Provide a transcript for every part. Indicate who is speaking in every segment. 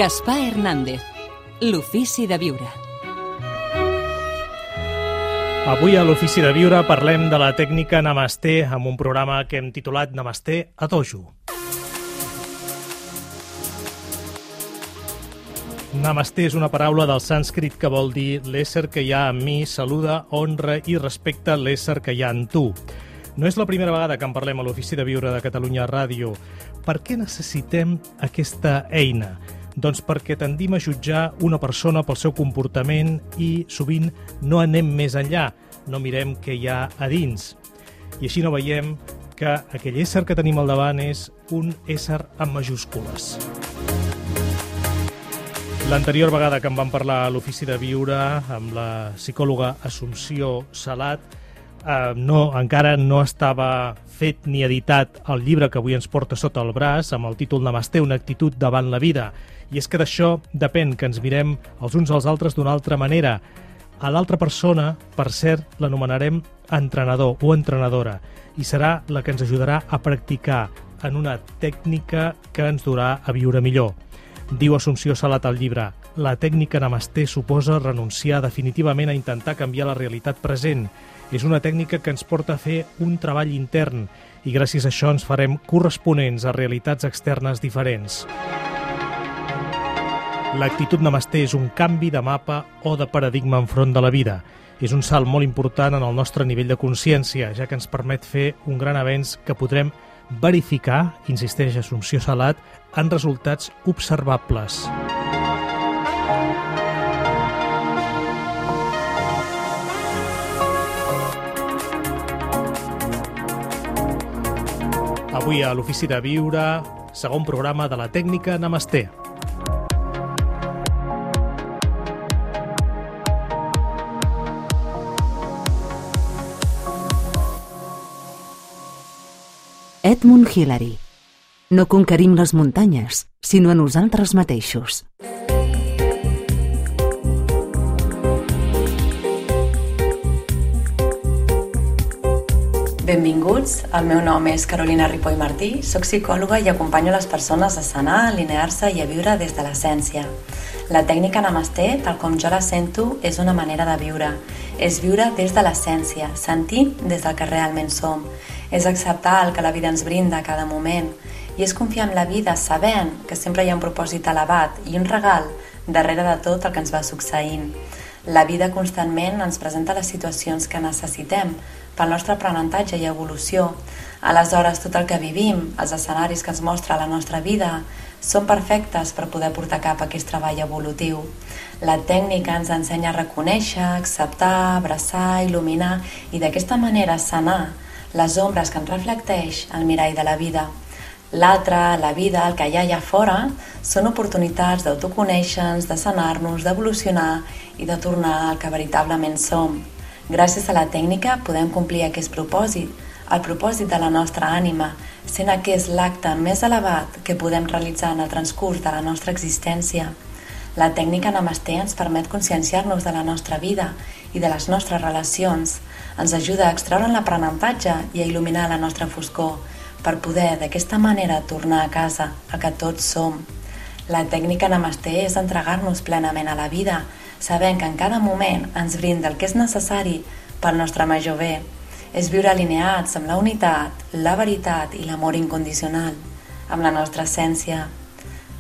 Speaker 1: Gaspar Hernández, l'ofici de viure.
Speaker 2: Avui a l'Ofici de Viure parlem de la tècnica Namasté amb un programa que hem titulat Namasté a Dojo. Namasté és una paraula del sànscrit que vol dir l'ésser que hi ha en mi saluda, honra i respecta l'ésser que hi ha en tu. No és la primera vegada que en parlem a l'Ofici de Viure de Catalunya Ràdio. Per què necessitem aquesta eina? Doncs perquè tendim a jutjar una persona pel seu comportament i sovint no anem més enllà, no mirem què hi ha a dins. I així no veiem que aquell ésser que tenim al davant és un ésser amb majúscules. L'anterior vegada que en vam parlar a l'Ofici de Viure amb la psicòloga Assumpció Salat, encara no estava fet ni editat el llibre que avui ens porta sota el braç amb el títol Namasté, una actitud davant la vida. I és que d'això depèn que ens mirem els uns als altres d'una altra manera. A l'altra persona, per cert, l'anomenarem entrenador o entrenadora i serà la que ens ajudarà a practicar en una tècnica que ens durà a viure millor. Diu Assumpció Salat al llibre: la tècnica Namasté suposa renunciar definitivament a intentar canviar la realitat present. És una tècnica que ens porta a fer un treball intern i gràcies a això ens farem corresponents a realitats externes diferents. L'actitud Namasté és un canvi de mapa o de paradigma enfront de la vida. És un salt molt important en el nostre nivell de consciència, ja que ens permet fer un gran avenç que podrem verificar, insisteix Assumpció Salat, en resultats observables. Avui a l'Ofici de Viure, segon programa de la tècnica Namasté.
Speaker 3: Edmund Hillary. No conquerim les muntanyes, sinó a nosaltres mateixos.
Speaker 4: Benvinguts, el meu nom és Carolina Ripoll Martí, soc psicòloga i acompanyo les persones a sanar, a alinear-se i a viure des de l'essència. La tècnica Namasté, tal com jo la sento, és una manera de viure. És viure des de l'essència, sentint des del que realment som. És acceptar el que la vida ens brinda a cada moment i és confiar en la vida sabent que sempre hi ha un propòsit elevat i un regal darrere de tot el que ens va succeint. La vida constantment ens presenta les situacions que necessitem pel nostre aprenentatge i evolució. Aleshores, tot el que vivim, els escenaris que ens mostra la nostra vida, són perfectes per poder portar a cap aquest treball evolutiu. La tècnica ens ensenya a reconèixer, acceptar, abraçar, il·luminar i d'aquesta manera sanar les ombres que ens reflecteix el mirall de la vida. L'altre, la vida, el que hi ha allà fora, són oportunitats d'autoconèixer-nos, de sanar-nos, d'evolucionar i de tornar al que veritablement som. Gràcies a la tècnica podem complir aquest propòsit, el propòsit de la nostra ànima, sent aquest l'acte més elevat que podem realitzar en el transcurs de la nostra existència. La tècnica Namasté ens permet conscienciar-nos de la nostra vida i de les nostres relacions. Ens ajuda a extreure'n l'aprenentatge i a il·luminar la nostra foscor per poder d'aquesta manera tornar a casa, a que tots som. La tècnica Namasté és entregar-nos plenament a la vida, sabent que en cada moment ens brinda el que és necessari pel nostre major bé. És viure alineats amb la unitat, la veritat i l'amor incondicional, amb la nostra essència.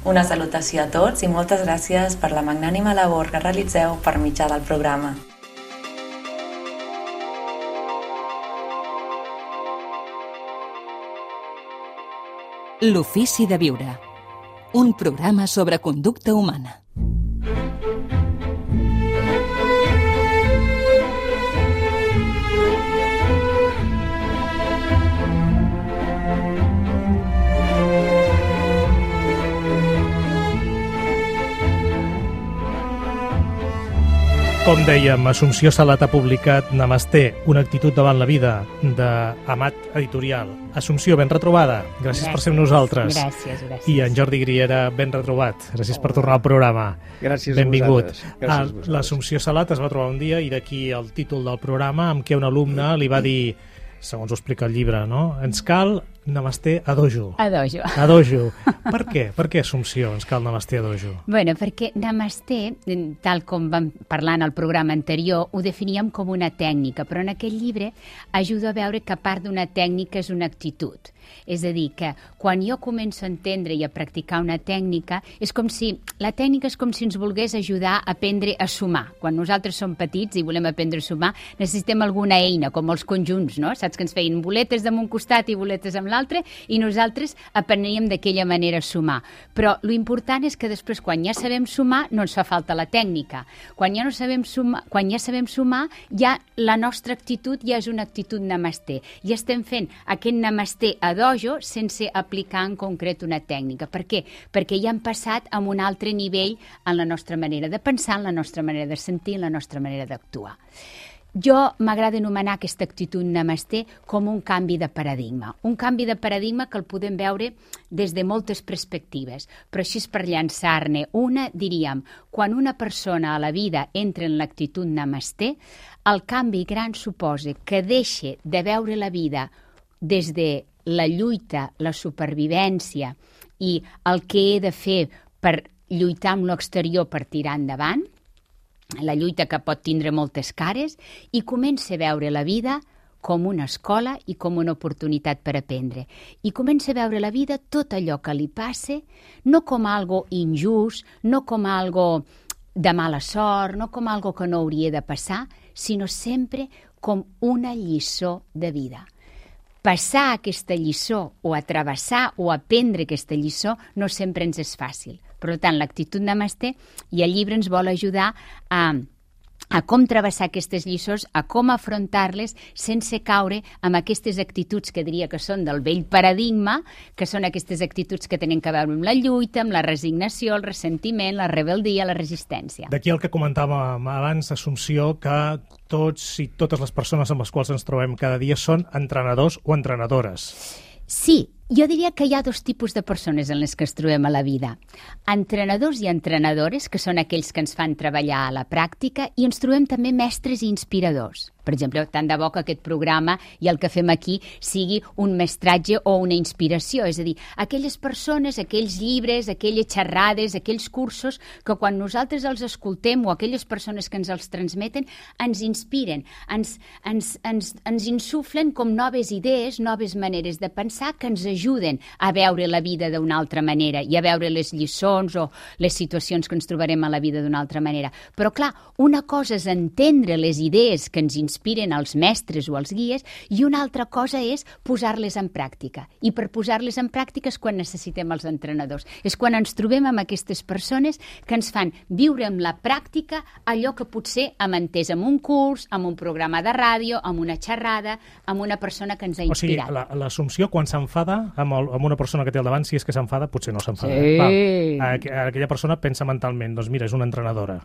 Speaker 4: Una salutació a tots i moltes gràcies per la magnànima labor que realitzeu per mitjà del programa.
Speaker 1: L'ofici de viure. Un programa sobre conducta humana.
Speaker 2: Com dèiem, Assumpció Salat ha publicat Namasté, una actitud davant la vida, d'Amat Editorial. Assumpció, ben retrobada. Gràcies per ser amb nosaltres.
Speaker 5: Gràcies.
Speaker 2: I en Jordi Griera, ben retrobat. Gràcies per tornar al programa.
Speaker 5: Gràcies
Speaker 2: Benvingut.
Speaker 5: a vosaltres.
Speaker 2: L'Assumpció Salat es va trobar un dia, i d'aquí el títol del programa, amb què un alumne li va dir, segons ho explica el llibre, no? Ens cal Namasté a dojo.
Speaker 5: A dojo.
Speaker 2: A dojo. Per què? Per què Assumpció ens cal Namasté a dojo?
Speaker 5: Bueno, perquè Namasté, tal com vam parlar en el programa anterior, ho definíem com una tècnica, però en aquest llibre ajuda a veure que a part d'una tècnica és una actitud. És a dir, que quan jo començo a entendre i a practicar una tècnica, la tècnica és com si ens volgués ajudar a aprendre a sumar. Quan nosaltres som petits i volem aprendre a sumar, necessitem alguna eina, com els conjunts, no? Saps que ens feien boletes d'un costat i boletes amb l'altre, i nosaltres apreníem d'aquella manera a sumar. Però lo important és que després, quan ja sabem sumar, no ens fa falta la tècnica. Quan ja sabem sumar, ja la nostra actitud ja és una actitud namasté. Ja estem fent aquest namasté a dojo sense aplicar en concret una tècnica. Per què? Perquè ja hem passat a un altre nivell en la nostra manera de pensar, en la nostra manera de sentir, en la nostra manera d'actuar. Jo m'agrada anomenar aquesta actitud namasté com un canvi de paradigma. Un canvi de paradigma que el podem veure des de moltes perspectives. Però així per llançar-ne una, diríem, quan una persona a la vida entra en l'actitud namasté, el canvi gran suposa que deixa de veure la vida des de la lluita, la supervivència i el que he de fer per lluitar amb l'exterior per tirar endavant, la lluita que pot tindre moltes cares, i comença a veure la vida com una escola i com una oportunitat per aprendre. I comença a veure la vida, tot allò que li passa, no com algo injust, no com algo de mala sort, no com algo que no hauria de passar, sinó sempre com una lliçó de vida. Passar aquesta lliçó o travessar o aprendre aquesta lliçó no sempre ens és fàcil. Per tant, l'actitud namasté i el llibre ens vol ajudar a com travessar aquestes lliçons, a com afrontar-les sense caure amb aquestes actituds que diria que són del vell paradigma, que són aquestes actituds que tenen que veure amb la lluita, amb la resignació, el ressentiment, la rebeldia, la resistència.
Speaker 2: D'aquí el que comentàvem abans, Assumpció, que tots i totes les persones amb les quals ens trobem cada dia són entrenadors o entrenadores.
Speaker 5: Sí, jo diria que hi ha dos tipus de persones en les que ens trobem a la vida. Entrenadors i entrenadores, que són aquells que ens fan treballar a la pràctica, i ens trobem també mestres i inspiradors. Per exemple, tant de bo que aquest programa i el que fem aquí sigui un mestratge o una inspiració, és a dir, aquelles persones, aquells llibres, aquelles xerrades, aquells cursos que quan nosaltres els escoltem o aquelles persones que ens els transmeten ens inspiren, ens insuflen com noves idees, noves maneres de pensar que ens ajuden a veure la vida d'una altra manera i a veure les lliçons o les situacions que ens trobarem a la vida d'una altra manera. Però clar, una cosa és entendre les idees que ens inspiren els mestres o els guies i una altra cosa és posar-les en pràctica. I per posar-les en pràctica és quan necessitem els entrenadors. És quan ens trobem amb aquestes persones que ens fan viure amb la pràctica allò que potser hem entès en un curs, en un programa de ràdio, en una xerrada, amb una persona que ens ha inspirat.
Speaker 2: O sigui, l'Assumpció, quan s'enfada amb una persona que té al davant, si és que s'enfada, potser no s'enfada.
Speaker 5: Sí.
Speaker 2: Aquella persona pensa mentalment, doncs mira, és una entrenadora.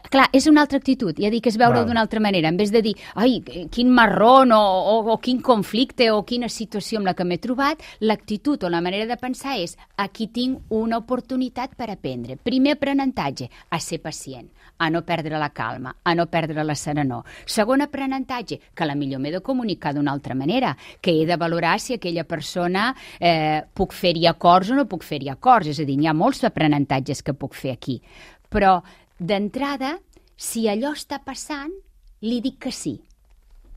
Speaker 5: Clar, és una altra actitud, ja dic, és veure-ho d'una altra manera. En vez de dir, ai, quin marrón o quin conflicte o quina situació amb la que m'he trobat, l'actitud o la manera de pensar és, aquí tinc una oportunitat per aprendre. Primer aprenentatge, a ser pacient, a no perdre la calma, a no perdre la serenor. Segon aprenentatge, que a la millor m'he de comunicar d'una altra manera, que he de valorar si aquella persona puc fer-hi acords o no puc fer-hi acords. És a dir, hi ha molts aprenentatges que puc fer aquí. Però, d'entrada, si allò està passant, li dic que sí.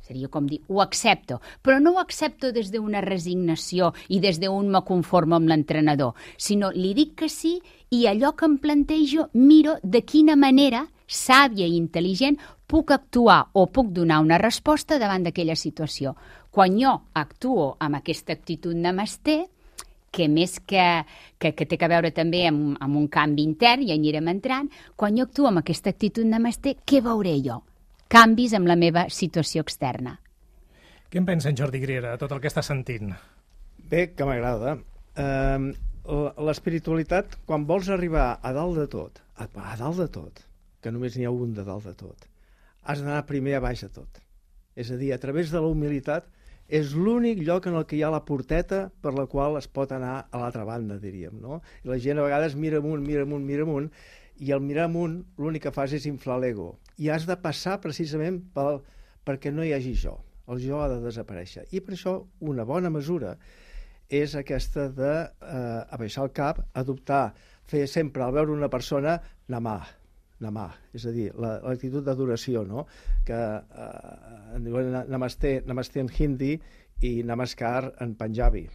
Speaker 5: Seria com dir, ho accepto, però no ho accepto des d'una resignació i des d'un me conformo amb l'entrenador, sinó li dic que sí i allò que em plantejo miro de quina manera, sàvia i intel·ligent, puc actuar o puc donar una resposta davant d'aquella situació. Quan jo actuo amb aquesta actitud namasté, que més que té a veure també amb un canvi intern, ja hi anirem entrant, quan jo actuo amb aquesta actitud namasté, què veuré jo? Canvis en la meva situació externa.
Speaker 2: Què en pensa en Jordi Griera de tot el que està sentint?
Speaker 6: Bé, que m'agrada. L'espiritualitat, quan vols arribar a dalt de tot, que només n'hi ha un de dalt de tot, has d'anar primer a baix de tot. És a dir, a través de la humilitat és l'únic lloc en el que hi ha la porteta per la qual es pot anar a l'altra banda, diríem, no? I la gent a vegades mira amunt, i al mirar amunt l'únic que fas és inflar l'ego. I has de passar precisament perquè no hi hagi jo. El jo ha de desaparèixer. I per això una bona mesura és aquesta d'abaixar el cap, adoptar, fer sempre, al veure una persona, namà, és a dir, l'actitud d'adoració, no? Que en diuen namasté en hindi i namaskar en panjabi,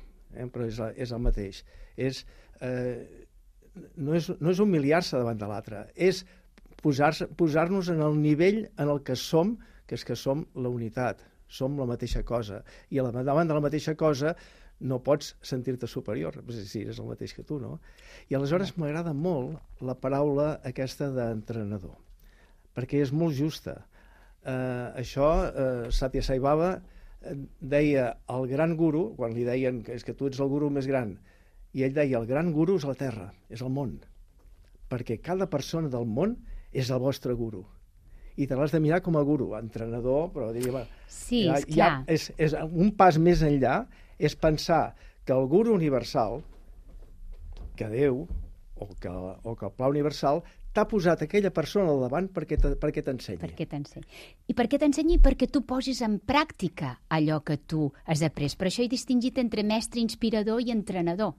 Speaker 6: però és el mateix. No és humiliar-se davant de l'altre, és posar-nos en el nivell en el que som, que és que som la unitat, som la mateixa cosa. I davant de la mateixa cosa no pots sentir-te superior, si eres el mateix que tu, no? I aleshores m'agrada molt la paraula aquesta d'entrenador, perquè és molt justa. Satya Sai Baba deia el gran guru, quan li deien que és que tu ets el guru més gran, i ell deia el gran guru és la terra, és el món, perquè cada persona del món és el vostre guru. I te l'has de mirar com a guru, entrenador, però diria...
Speaker 5: Sí, esclar.
Speaker 6: És un pas més enllà, és pensar que el guru universal, que Déu, o que el pla universal, t'ha posat aquella persona al davant perquè t'ensenyi.
Speaker 5: Perquè t'ensenyi. I perquè t'ensenyi perquè tu posis en pràctica allò que tu has après. Per això he distingit entre mestre, inspirador i entrenador.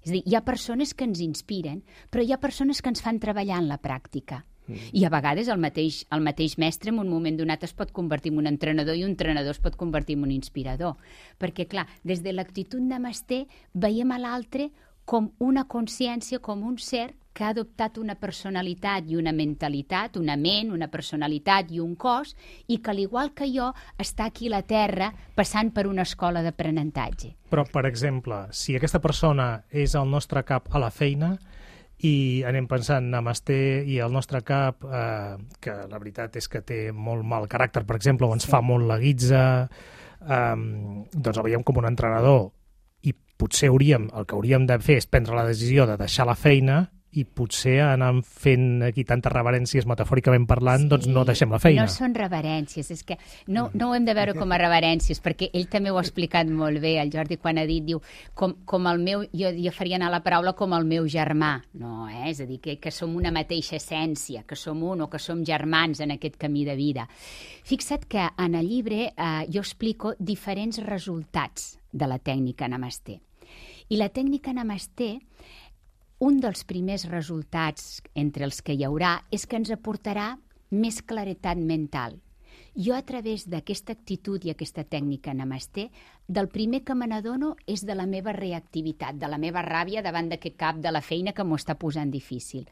Speaker 5: És a dir, hi ha persones que ens inspiren, però hi ha persones que ens fan treballar en la pràctica. I a vegades el mateix mestre en un moment donat es pot convertir en un entrenador i un entrenador es pot convertir en un inspirador. Perquè, clar, des de l'actitud namasté veiem a l'altre com una consciència, com un ser que ha adoptat una personalitat i una mentalitat, una ment, una personalitat i un cos, i que, al igual que jo, està aquí a la Terra passant per una escola d'aprenentatge.
Speaker 2: Però, per exemple, si aquesta persona és el nostre cap a la feina i anem pensant namasté i el nostre cap, que la veritat és que té molt mal caràcter, per exemple, o ens fa molt la guitza, doncs el veiem com un entrenador i potser el que hauríem de fer és prendre la decisió de deixar la feina i potser anar fent aquí tantes reverències, metafòricament parlant, doncs no deixem la feina.
Speaker 5: No són reverències, és que no ho hem de veure com a reverències, perquè ell també ho ha explicat molt bé, el Jordi, quan ha dit, diu, com el meu, jo faria anar la paraula com el meu germà, no, és a dir, que som una mateixa essència, que som un o que som germans en aquest camí de vida. Fixa't que en el llibre jo explico diferents resultats de la tècnica namasté. I la tècnica namasté, un dels primers resultats entre els que hi haurà és que ens aportarà més claretat mental. Jo, a través d'aquesta actitud i aquesta tècnica namasté, del primer que me n'adono és de la meva reactivitat, de la meva ràbia davant d'aquest cap de la feina que m'ho està posant difícil.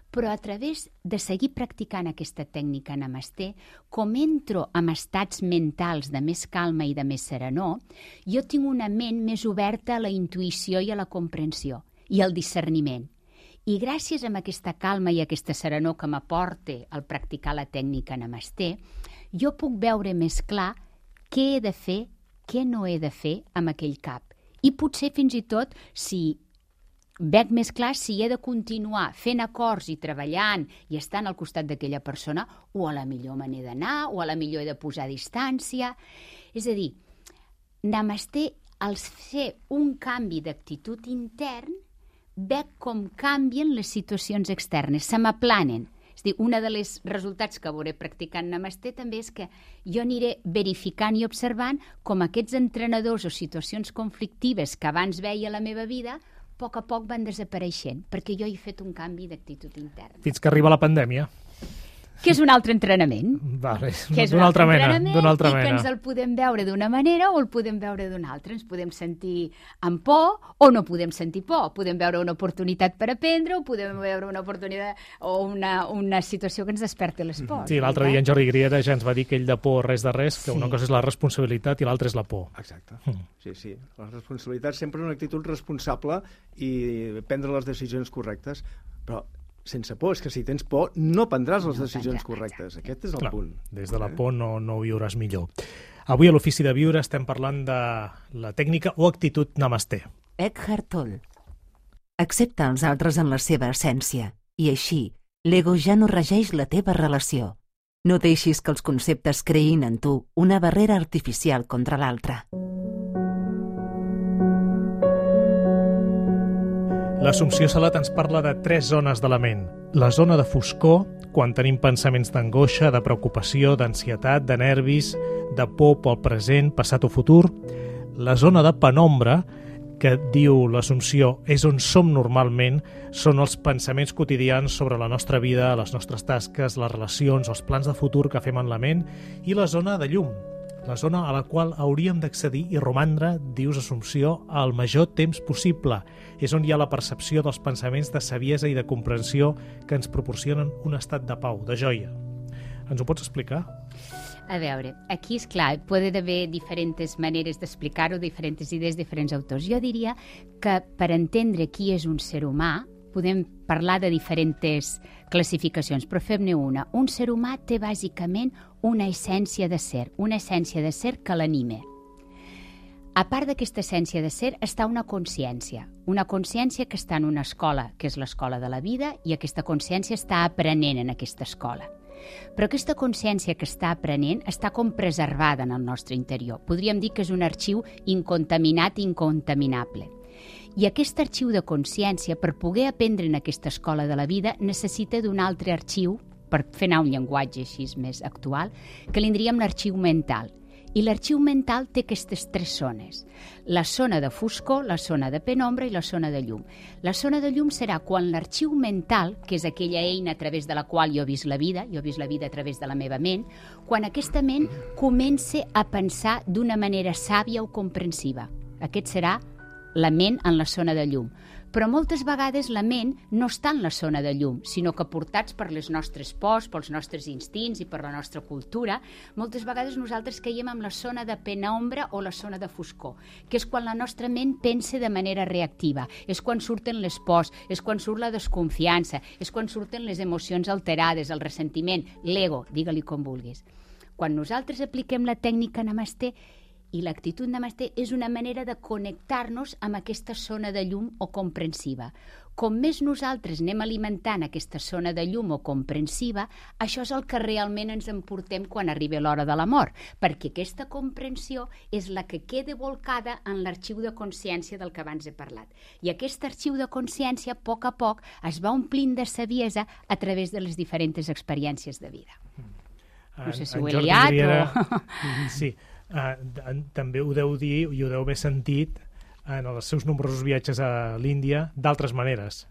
Speaker 5: Però a través de seguir practicant aquesta tècnica namasté, com entro en estats mentals de més calma i de més serenor, jo tinc una ment més oberta a la intuïció i a la comprensió i al discerniment. I gràcies a aquesta calma i aquesta serenor que m'aporta al practicar la tècnica namasté, jo puc veure més clar què he de fer, què no he de fer amb aquell cap. I potser fins i tot, si veig més clar, si he de continuar fent acords i treballant i estant al costat d'aquella persona, o a la millor me n'he d'anar, o a la millor he de posar distància. És a dir, namasté, al fer un canvi d'actitud intern, veig com canvien les situacions externes, se m'aplanen. És a dir, un dels resultats que veuré practicant namasté també és que jo aniré verificant i observant com aquests entrenadors o situacions conflictives que abans veia a la meva vida, a poc van desapareixent, perquè jo he fet un canvi d'actitud interna.
Speaker 2: Fins que arriba la pandèmia.
Speaker 5: Que és un altre entrenament.
Speaker 2: Vale, d'una altra mena.
Speaker 5: I que ens el podem veure d'una manera o el podem veure d'una altra. Ens podem sentir amb por o no podem sentir por. Podem veure una oportunitat per aprendre o podem veure una oportunitat o una situació que ens desperti les pors.
Speaker 2: Sí, l'altre dia en Jordi Griera ja ens va dir que ell de por res de res, que una cosa és la responsabilitat i l'altra és la por.
Speaker 6: Exacte. Sí. La responsabilitat sempre és una actitud responsable i prendre les decisions correctes, però sense por, és que si tens por no prendràs les decisions correctes. Aquest és el punt.
Speaker 2: Des de la por no viuràs millor. Avui a l'Ofici de Viure estem parlant de la tècnica o actitud namasté.
Speaker 3: Eckhart Tolle. Accepta els altres en la seva essència i així l'ego ja no regeix la teva relació. No deixis que els conceptes creïn en tu una barrera artificial contra l'altre.
Speaker 2: L'Assumpció Salat ens parla de 3 zones de la ment. La zona de foscor, quan tenim pensaments d'angoixa, de preocupació, d'ansietat, de nervis, de por pel present, passat o futur. La zona de penombra que diu l'Assumpció és on som normalment, són els pensaments quotidians sobre la nostra vida, les nostres tasques, les relacions, els plans de futur que fem en la ment i la zona de llum, la zona a la qual hauríem d'accedir i romandre, dius Assumpció, el major temps possible. És on hi ha la percepció dels pensaments de saviesa i de comprensió que ens proporcionen un estat de pau, de joia. Ens ho pots explicar?
Speaker 5: A veure, aquí és clar, poden haver diferents maneres d'explicar-ho, diferents idees, diferents autors. Jo diria que per entendre qui és un ser humà podem parlar de diferents classificacions, però fem-ne una. Un ser humà té bàsicament una essència de ser que l'anime. A part d'aquesta essència de ser, està una consciència que està en una escola, que és l'escola de la vida, i aquesta consciència està aprenent en aquesta escola. Però aquesta consciència que està aprenent està com preservada en el nostre interior. Podríem dir que és un arxiu incontaminat i incontaminable. I aquest arxiu de consciència, per poder aprendre en aquesta escola de la vida, necessita d'un altre arxiu, per fer anar un llenguatge així més actual, que li diríem l'arxiu mental. I l'arxiu mental té aquestes tres zones. La zona de foscor, la zona de penombra i la zona de llum. La zona de llum serà quan l'arxiu mental, que és aquella eina a través de la qual jo he vist la vida a través de la meva ment, quan aquesta ment comença a pensar d'una manera sàvia o comprensiva. Aquest serà la ment en la zona de llum. Però moltes vegades la ment no està en la zona de llum, sinó que portats per les nostres pors, pels nostres instints i per la nostra cultura, moltes vegades nosaltres caiem en la zona de penombra o la zona de foscor, que és quan la nostra ment pensa de manera reactiva, és quan surten les pors, és quan surt la desconfiança, és quan surten les emocions alterades, el ressentiment, l'ego, digue-li com vulguis. Quan nosaltres apliquem la tècnica Namasté, i l'actitud Namasté és una manera de connectar-nos amb aquesta zona de llum o comprensiva. Com més nosaltres anem alimentant aquesta zona de llum o comprensiva, això és el que realment ens emportem quan arriba l'hora de la mort, perquè aquesta comprensió és la que queda volcada en l'arxiu de consciència del que abans he parlat. I aquest arxiu de consciència, a poc, es va omplint de saviesa a través de les diferents experiències de vida. No sé si ho he liat o...
Speaker 2: Sí. També ho deu dir i ho deu haver sentit en els seus nombrosos viatges a l'Índia d'altres maneres.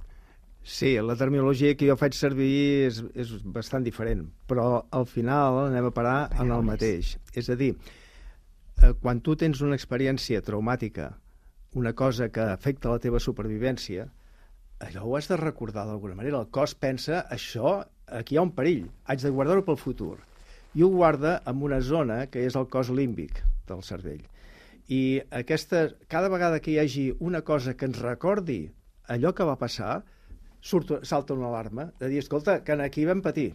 Speaker 6: Sí, la terminologia que jo faig servir és bastant diferent, però al final anem a parar en el mateix. És a dir, quan tu tens una experiència traumàtica, una cosa que afecta la teva supervivència, allò ho has de recordar d'alguna manera. El cos pensa, això, aquí hi ha un perill, haig de guardar-ho pel futur. I ho guarda en una zona que és el cos límbic del cervell. I cada vegada que hi hagi una cosa que ens recordi allò que va passar, salta una alarma de dir, escolta, que aquí vam patir,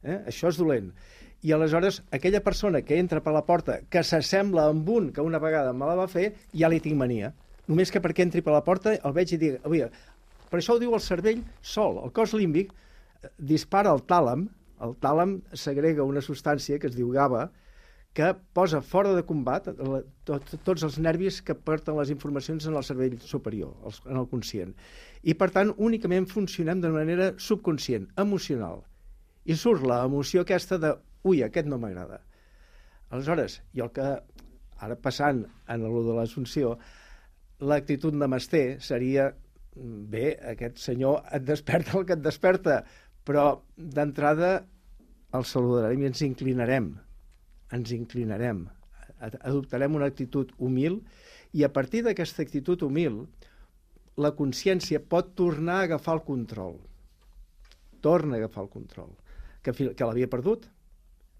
Speaker 6: això és dolent. I aleshores aquella persona que entra per la porta, que s'assembla amb un que una vegada me la va fer, ja li tinc mania. Només que perquè entri per la porta el veig i dic, per això ho diu el cervell sol. El cos límbic dispara el tàlam. El tàlam segrega una substància que es diu GABA, que posa fora de combat tots els nervis que porten les informacions en el cervell superior, en el conscient. I, per tant, únicament funcionem de manera subconscient, emocional. I surt l'emoció aquesta de, aquest no m'agrada. Aleshores, jo el que, ara passant en allò de l'Assumpció, l'actitud Namasté seria, bé, aquest senyor et desperta el que et desperta, però d'entrada el saludarem i ens inclinarem, adoptarem una actitud humil i a partir d'aquesta actitud humil la consciència pot tornar a agafar el control, que l'havia perdut,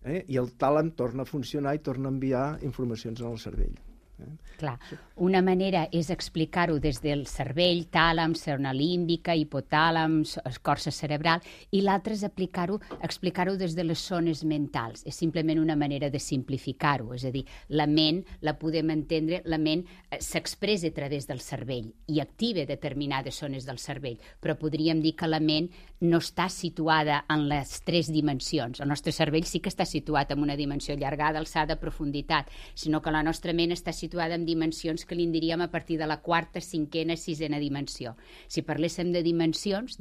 Speaker 6: i el tàlam torna a funcionar i torna a enviar informacions al cervell.
Speaker 5: Clar, una manera és explicar-ho des del cervell, tàlam, zona límbica, hipotàlam, escorça cerebral, i l'altra és explicar-ho des de les zones mentals. És simplement una manera de simplificar-ho, és a dir, la ment, la podem entendre, la ment s'expressa a través del cervell i activa determinades zones del cervell, però podríem dir que la ment no està situada en les tres dimensions. El nostre cervell sí que està situat en una dimensió allargada, alçada, profunditat, sinó que la nostra ment està situada situada en dimensions que li en diríem a partir de la quarta, cinquena, sisena dimensió. Si parléssim de dimensions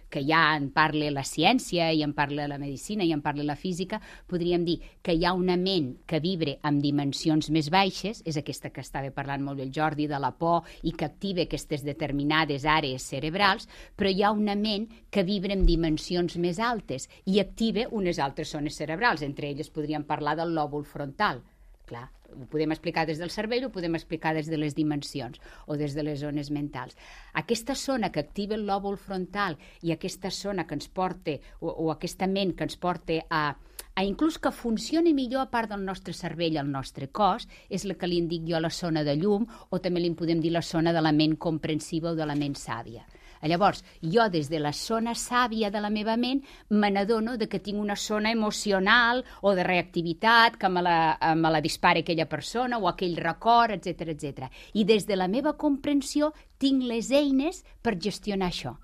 Speaker 5: que ja en parla la ciència, i en parla la medicina, i en parla la física, podríem dir que hi ha una ment que vibre amb dimensions més baixes, és aquesta que estava parlant molt bé el Jordi, de la por, i que activa aquestes determinades àrees cerebrals, però hi ha una ment que vibra amb dimensions més altes i activa unes altres zones cerebrals, entre elles podríem parlar del lòbul frontal. Clar, ho podem explicar des del cervell, ho podem explicar des de les dimensions o des de les zones mentals. Aquesta zona que activa el lòbul frontal i aquesta zona que ens porta, o aquesta ment que ens porta a inclús que funcioni millor a part del nostre cervell al nostre cos, és la que li dic jo la zona de llum, o també li podem dir la zona de la ment comprensiva o de la ment sàvia. Llavors, jo des de la zona sàvia de la meva ment me n'adono que tinc una zona emocional o de reactivitat que me la dispara aquella persona o aquell record, etc. I des de la meva comprensió tinc les eines per gestionar això.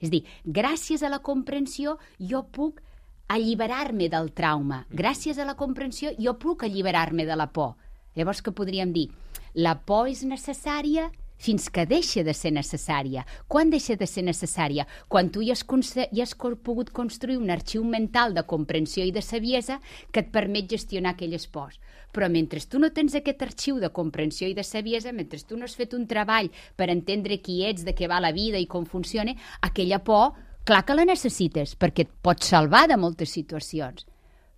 Speaker 5: És a dir, gràcies a la comprensió jo puc alliberar-me del trauma. Gràcies a la comprensió jo puc alliberar-me de la por. Llavors, què podríem dir? La por és necessària fins que deixa de ser necessària. Quan deixa de ser necessària? Quan tu ja has pogut construir un arxiu mental de comprensió i de saviesa que et permet gestionar aquelles pors. Però mentre tu no tens aquest arxiu de comprensió i de saviesa, mentre tu no has fet un treball per entendre qui ets, de què va la vida i com funciona, aquella por, clar que la necessites, perquè et pots salvar de moltes situacions.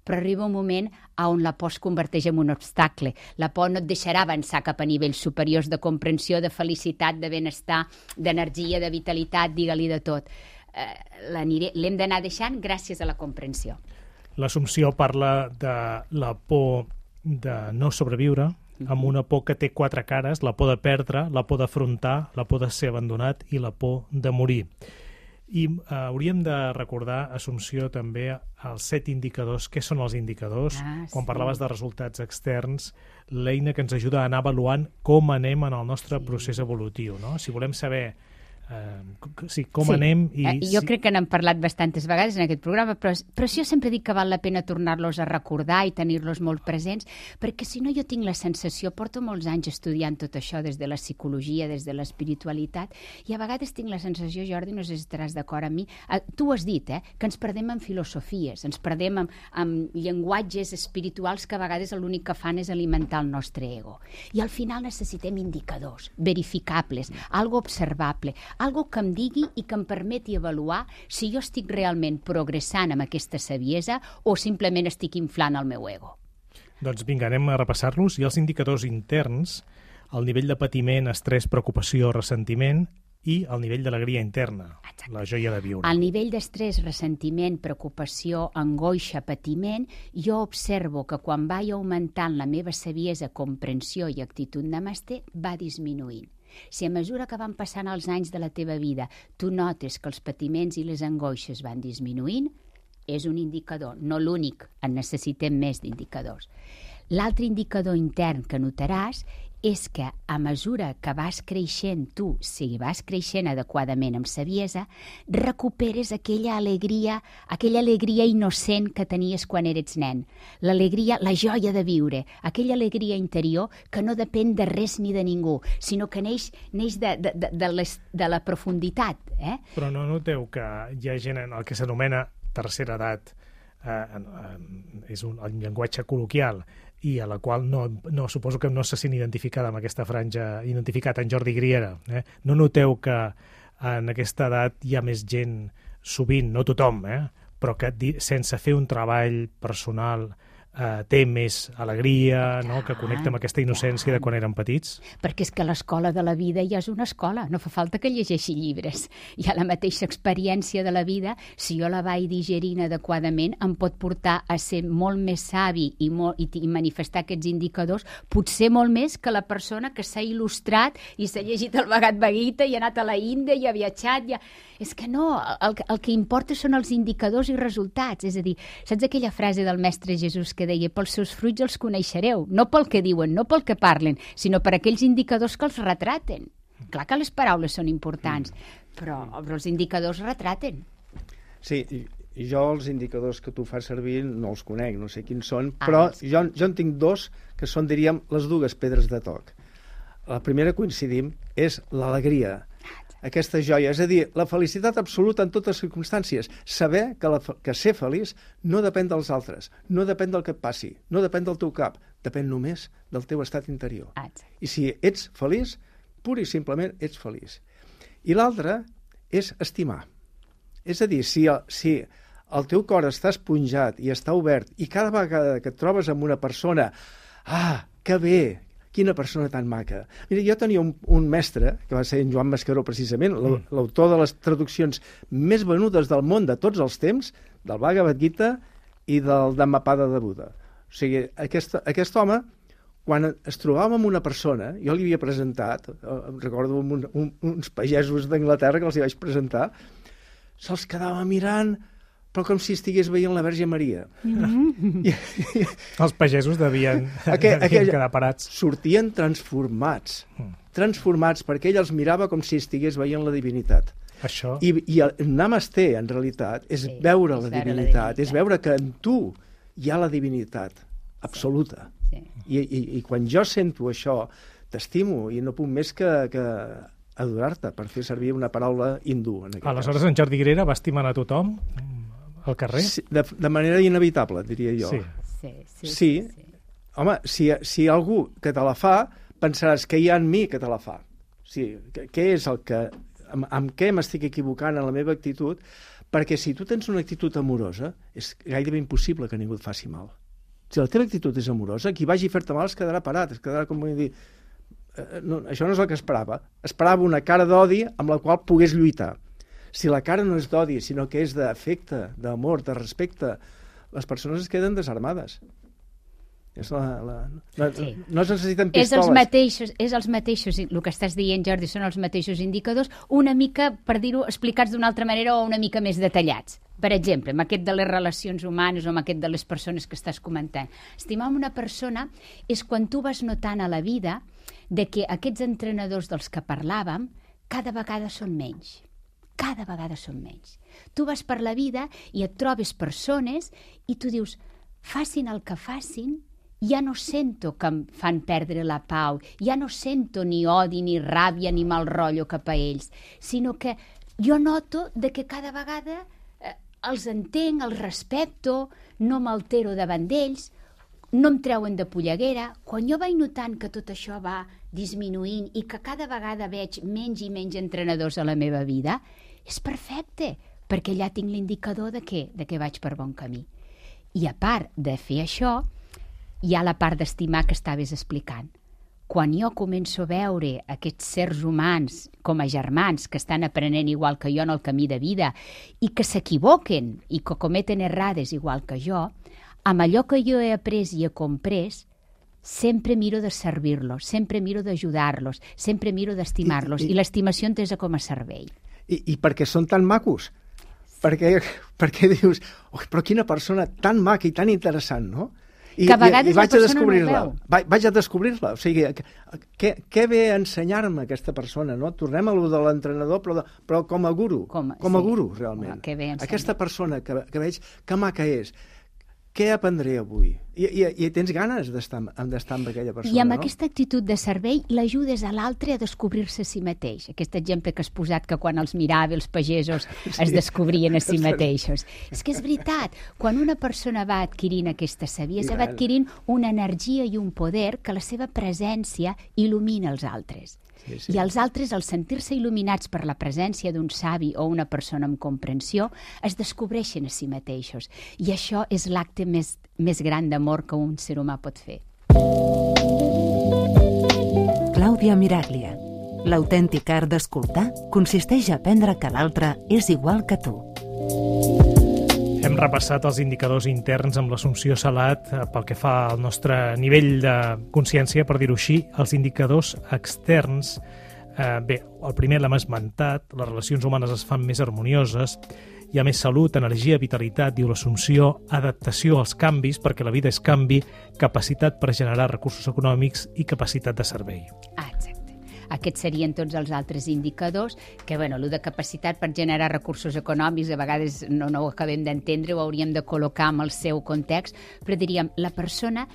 Speaker 5: Però arriba un moment on la por es converteix en un obstacle. La por no et deixarà avançar cap a nivells superiors de comprensió, de felicitat, de benestar, d'energia, de vitalitat, digue-li de tot. L'hem d'anar deixant gràcies a la comprensió.
Speaker 2: L'Assumpció parla de la por de no sobreviure, amb una por que té 4 cares: la por de perdre, la por d'afrontar, la por de ser abandonat i la por de morir. I hauríem de recordar, Assumpció, també els 7 indicadors. Què són els indicadors? Quan parlaves de resultats externs, l'eina que ens ajuda a anar avaluant com anem en el nostre procés evolutiu, no? Si volem saber com anem...
Speaker 5: Jo crec que n'hem parlat bastantes vegades en aquest programa, però jo sempre dic que val la pena tornar-los a recordar i tenir-los molt presents, perquè si no jo tinc la sensació, porto molts anys estudiant tot això des de la psicologia, des de l'espiritualitat, i a vegades tinc la sensació, Jordi, no sé si estaràs d'acord amb mi, tu ho has dit, que ens perdem en filosofies, ens perdem en llenguatges espirituals que a vegades l'únic que fan és alimentar el nostre ego. I al final necessitem indicadors verificables, algo observable, algo que em digui i que em permeti avaluar si jo estic realment progressant amb aquesta saviesa o simplement estic inflant el meu ego.
Speaker 2: Doncs vinga, anem a repassar-los. I els indicadors interns, el nivell de patiment, estrès, preocupació, ressentiment, i el nivell d'alegria interna, la joia de viure.
Speaker 5: Al nivell d'estrès, ressentiment, preocupació, angoixa, patiment, jo observo que quan vaig augmentant la meva saviesa, comprensió i actitud namasté, va disminuint. Si a mesura que van passant els anys de la teva vida tu notes que els patiments i les angoixes van disminuint, és un indicador, no l'únic, en necessitem més d'indicadors. L'altre indicador intern que notaràs és que a mesura que vas creixent tu, si vas creixent adequadament amb saviesa, recuperes aquella alegria innocent que tenies quan eres nen. L'alegria, la joia de viure, aquella alegria interior que no depèn de res ni de ningú, sinó que neix de la profunditat.
Speaker 2: Però no noteu que hi ha gent en el que s'anomena tercera edat, és un llenguatge col·loquial, i a la qual no suposo que no se sent identificada amb aquesta franja, identificat en Jordi Griera. No noteu que en aquesta edat hi ha més gent, sovint, no tothom, però que sense fer un treball personal té més alegria, no? Que connecta amb aquesta innocència de quan eren petits?
Speaker 5: Perquè és que l'escola de la vida ja és una escola, no fa falta que llegeixi llibres. Hi ha la mateixa experiència de la vida, si jo la vaig digerint adequadament, em pot portar a ser molt més savi i manifestar aquests indicadors, potser molt més que la persona que s'ha il·lustrat i s'ha llegit el Bhagavad Gita i ha anat a la Índia i ha viatjat. És que no, el que importa són els indicadors i resultats. És a dir, saps aquella frase del Mestre Jesús que deia, pels seus fruits els coneixereu, no pel que diuen, no pel que parlen, sinó per aquells indicadors que els retraten. Clar que les paraules són importants, però els indicadors retraten.
Speaker 6: Sí, jo els indicadors que tu fas servir no els conec, no sé quins són, però jo en tinc dos que són, diríem, les dues pedres de toc. La primera, coincidim, és l'alegria, aquesta joia, és a dir, la felicitat absoluta en totes les circumstàncies, saber que ser feliç no depèn dels altres, no depèn del que et passi, no depèn del teu cap, depèn només del teu estat interior. I si ets feliç, pur i simplement ets feliç. I l'altra és estimar. És a dir, si el teu cor està esponjat i està obert i cada vegada que et trobes amb una persona, que bé, quina persona tan maca. Mira, jo tenia un mestre, que va ser en Joan Mascaró precisament, l'autor de les traduccions més venudes del món de tots els temps, del Bhagavad Gita i del Dhammapada de Buda. O sigui, aquest home, quan es trobava amb una persona, jo li havia presentat, recordo uns pagesos d'Anglaterra que els hi vaig presentar, se'ls quedava mirant, però com si estigués veient la Verge Maria.
Speaker 2: Els pagesos devien quedar parats.
Speaker 6: Sortien transformats, perquè ell els mirava com si estigués veient la divinitat.
Speaker 2: Això...
Speaker 6: I el Namasté, en realitat, és veure la divinitat, és veure que en tu hi ha la divinitat absoluta. I quan jo sento això, t'estimo i no puc més que adorar-te, per fer servir una paraula hindú.
Speaker 2: Aleshores, en Jordi Grera va estimant a tothom al carrer?
Speaker 6: Sí, de manera inevitable, diria jo. Sí. Home, si algú que te la fa, pensaràs que hi ha en mi que te la fa. Sí, què és el que... Amb què m'estic equivocant en la meva actitud? Perquè si tu tens una actitud amorosa, és gairebé impossible que ningú et faci mal. Si la teva actitud és amorosa, qui vagi a fer-te mal es quedarà parat, es quedarà com vull dir... No, això no és el que esperava. Esperava una cara d'odi amb la qual pogués lluitar. Si la cara no és d'odi, sinó que és d'afecte, d'amor, de respecte, les persones es queden desarmades. No es necessiten pistoles.
Speaker 5: És els mateixos, el que estàs dient, Jordi, són els mateixos indicadors, una mica, per dir-ho, explicats d'una altra manera o una mica més detallats. Per exemple, amb aquest de les relacions humanes o amb aquest de les persones que estàs comentant. Estimar una persona és quan tu vas notant a la vida de que aquests entrenadors dels que parlàvem cada vegada són menys. Cada vegada són menys. Tu vas per la vida i et trobes persones i tu dius, facin el que facin, ja no sento que em fan perdre la pau, ja no sento ni odi, ni ràbia, ni mal rotllo cap a ells, sinó que jo noto de que cada vegada els entenc, els respecto, no m'altero davant d'ells, no em treuen de polleguera. Quan jo vaig notant que tot això va disminuint i que cada vegada veig menys i menys entrenadors a la meva vida, és perfecte, perquè allà tinc l'indicador de que vaig per bon camí. I a part de fer això, hi ha la part d'estimar que estaves explicant. Quan jo començo a veure aquests sers humans com a germans que estan aprenent igual que jo en el camí de vida i que s'equivoquen i que cometen errades igual que jo, amb allò que jo he après i he comprès, sempre miro de servir-los, sempre miro d'ajudar-los, sempre miro d'estimar-los, i l'estimació entesa com a servei.
Speaker 6: I perquè són tan macos, perquè dius, però quina persona tan maca i tan interessant, no? I vaig a descobrir-la. Vaig a descobrir-la. O sigui, què ve a ensenyar-me aquesta persona, no? Tornem a lo de l'entrenador, però com a guru. Com a guru, realment. Aquesta persona que veig, que maca és. Què aprendré avui? I tens ganes d'estar amb aquella persona,
Speaker 5: I amb aquesta actitud de servei l'ajudes a l'altre a descobrir-se a si mateix. Aquest exemple que has posat, que quan els mirava els pagesos es descobrien a si mateixos. És que és veritat, quan una persona va adquirint aquesta saviesa, va adquirint una energia i un poder que la seva presència il·lumina els altres. I els altres, al sentir-se il·luminats per la presència d'un savi o una persona amb comprensió, es descobreixen a si mateixos. I això és l'acte més gran d'amor que un ser humà pot fer.
Speaker 3: Clàudia Miraglia. L'autèntic art d'escoltar consisteix a aprendre que l'altre és igual que tu.
Speaker 2: Hem repassat els indicadors interns amb l'Assumpció Salat pel que fa al nostre nivell de consciència, per dir-ho així. Els indicadors externs, bé, el primer l'hem esmentat, les relacions humanes es fan més harmonioses, hi ha més salut, energia, vitalitat, diu l'Assumpció, adaptació als canvis, perquè la vida és canvi, capacitat per generar recursos econòmics i capacitat de servei.
Speaker 5: Exacte. Aquests serien tots els altres indicadors, que, bueno, el de capacitat per generar recursos econòmics, a vegades no ho acabem d'entendre, ho hauríem de col·locar en el seu context, però diríem, la persona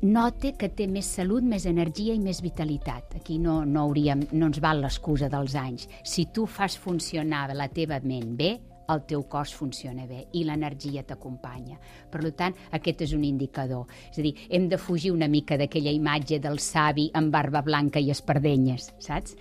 Speaker 5: nota que té més salut, més energia i més vitalitat. Aquí no ens val l'excusa dels anys. Si tu fas funcionar la teva ment bé, el teu cos funciona bé i l'energia t'acompanya. Per tant, aquest és un indicador. És a dir, hem de fugir una mica d'aquella imatge del savi amb barba blanca i espardenyes, saps?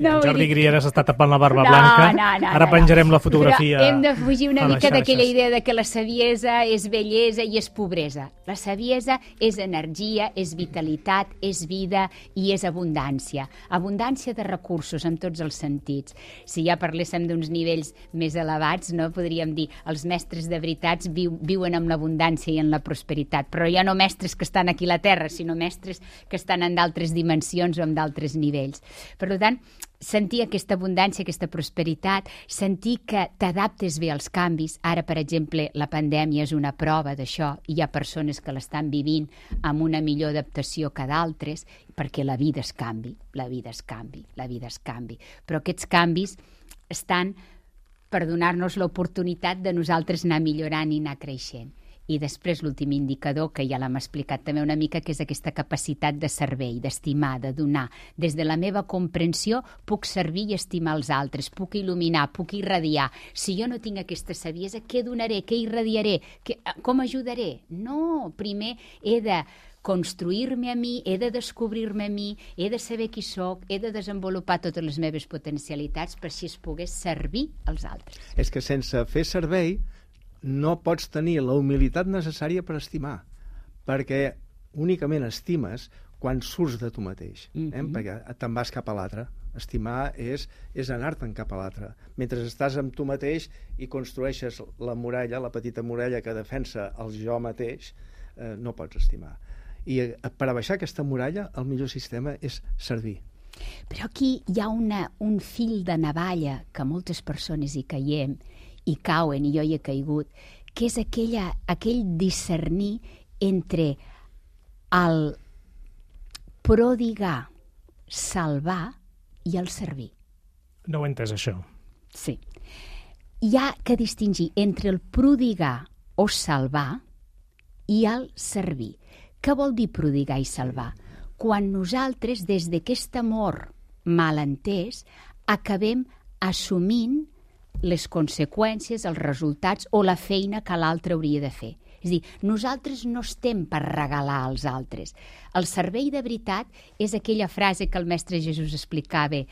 Speaker 2: No, Jordi Grieres està tapant la barba blanca. Ara penjarem la fotografia.
Speaker 5: Però hem de fugir una mica d'aquella idea de que la saviesa és bellesa i és pobresa. La saviesa és energia, és vitalitat, és vida i és abundància. Abundància de recursos en tots els sentits. Si ja parléssim d'uns nivells més elevats, no? Podríem dir, els mestres de veritats viuen amb l'abundància i en la prosperitat, però ja no mestres que estan aquí a la Terra, sinó mestres que estan en d'altres dimensions o en d'altres nivells. Per tant, sentir aquesta abundància, aquesta prosperitat, sentir que t'adaptes bé als canvis. Ara, per exemple, la pandèmia és una prova d'això, i hi ha persones que l'estan vivint amb una millor adaptació que d'altres, perquè la vida es canvi, la vida es canvi. Però aquests canvis estan per donar-nos l'oportunitat de nosaltres anar millorant i anar creixent. I després l'últim indicador, que ja l'hem explicat també una mica, que és aquesta capacitat de servei, d'estimar, de donar. Des de la meva comprensió puc servir i estimar els altres, puc il·luminar, puc irradiar. Si jo no tinc aquesta saviesa, què donaré, què irradiaré, com ajudaré? No, primer he de construir-me a mi, he de descobrir-me a mi, he de saber qui sóc, he de desenvolupar totes les meves potencialitats per si es pogués servir als altres.
Speaker 6: És que sense fer servei no pots tenir la humilitat necessària per estimar, perquè únicament estimes quan surts de tu mateix, perquè te'n vas cap a l'altre. Estimar és anar-te'n cap a l'altre. Mentre estàs amb tu mateix i construeixes la muralla, la petita muralla que defensa el jo mateix, no pots estimar. I per abaixar aquesta muralla, el millor sistema és servir.
Speaker 5: Però aquí hi ha un fil de navalla que moltes persones hi caiem, i cauen, i jo hi he caigut, que és aquell discernir entre el prodigar, salvar i el servir.
Speaker 2: No ho he entès, això.
Speaker 5: Sí. Hi ha que distingir entre el prodigar o salvar i el servir. Què vol dir prodigar i salvar? Quan nosaltres, des d'aquest amor mal entès, acabem assumint les conseqüències, els resultats o la feina que l'altre hauria de fer. És a dir, nosaltres no estem per regalar als altres. El servei de veritat és aquella frase que el mestre Jesús explicava: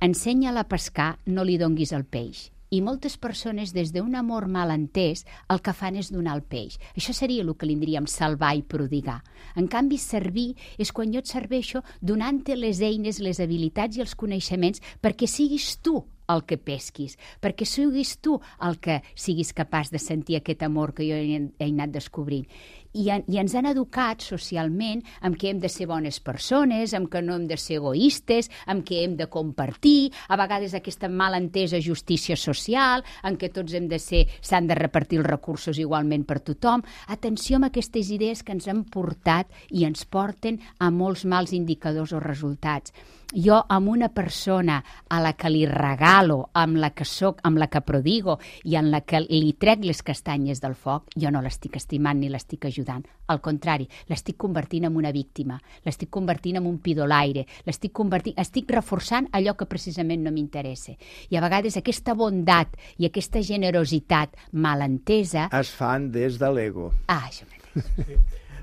Speaker 5: ensenya-la a pescar, no li donguis el peix. I moltes persones, des d'un amor mal entès, el que fan és donar el peix. Això seria el que li diríem salvar i prodigar. En canvi, servir és quan jo et serveixo donant-te les eines, les habilitats i els coneixements perquè siguis tu el que pesquis, perquè siguis tu el que siguis capaç de sentir aquest amor que jo he anat descobrint. I ens han educat socialment amb que hem de ser bones persones, amb que no hem de ser egoistes, amb que hem de compartir, a vegades aquesta malentesa justícia social, en què tots s'han de repartir els recursos igualment per tothom. Atenció amb aquestes idees que ens han portat i ens porten a molts mals indicadors o resultats. Jo, amb una persona a la que li regalo, amb la que soc, amb la que prodigo i en la que li trec les castanyes del foc, jo no l'estic estimant ni l'estic ajudant. Al contrari, l'estic convertint en una víctima, l'estic convertint en un pidolaire, estic reforçant allò que precisament no m'interessa. I a vegades aquesta bondat i aquesta generositat malentesa
Speaker 6: es fan des de l'ego.
Speaker 5: Això mateix.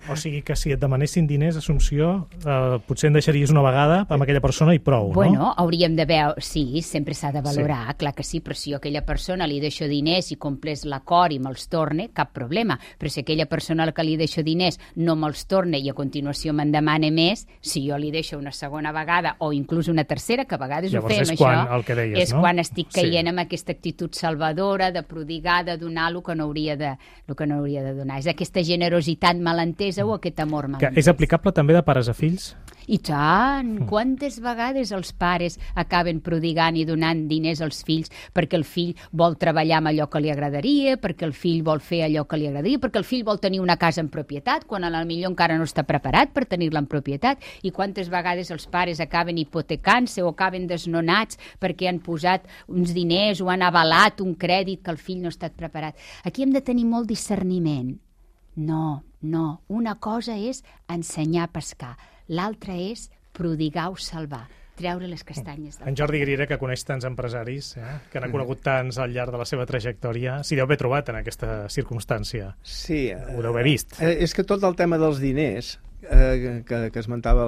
Speaker 2: O sigui que si et demanessin diners, Assumpció, potser en deixaries una vegada amb aquella persona i prou, no?
Speaker 5: Bueno, hauríem de veure... Sí, sempre s'ha de valorar, clar que sí, però si jo a aquella persona li deixo diners i complés l'acord i me'ls torne, cap problema. Però si aquella persona a la que li deixo diners no me'ls torna i a continuació me'n demana més, si jo li deixo una segona vegada o inclús una tercera, que a vegades
Speaker 2: llavors
Speaker 5: ho fem,
Speaker 2: això,
Speaker 5: el que deies, és
Speaker 2: no?
Speaker 5: quan estic caient amb aquesta actitud salvadora, de prodigar, de donar el que no hauria de donar. És aquesta generositat malentesa o aquest amor malentès.
Speaker 2: Que és aplicable també de pares a fills?
Speaker 5: I tant! Quantes vegades els pares acaben prodigant i donant diners als fills perquè el fill vol treballar amb allò que li agradaria, perquè el fill vol fer allò que li agradaria, perquè el fill vol tenir una casa en propietat, quan potser encara no està preparat per tenir-la en propietat, i quantes vegades els pares acaben hipotecant-se o acaben desnonats perquè han posat uns diners o han avalat un crèdit que el fill no ha estat preparat. Aquí hem de tenir molt discerniment. No. Una cosa és ensenyar a pescar, l'altra és prodigar o salvar, treure les castanyes del...
Speaker 2: En Jordi Griera, que coneix tants empresaris, que n'ha conegut tants al llarg de la seva trajectòria, s'hi deu haver trobat en aquesta circumstància.
Speaker 6: Sí.
Speaker 2: Ho deu haver vist.
Speaker 6: És que tot el tema dels diners que esmentava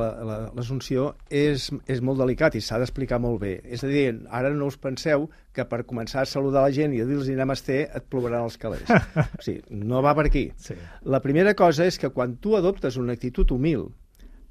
Speaker 6: l'Assumpció és molt delicat i s'ha d'explicar molt bé. És a dir, ara no us penseu que per començar a saludar la gent i a dir-los namasté et plovaran els calés. O sigui, no va per aquí. Sí. La primera cosa és que quan tu adoptes una actitud humil,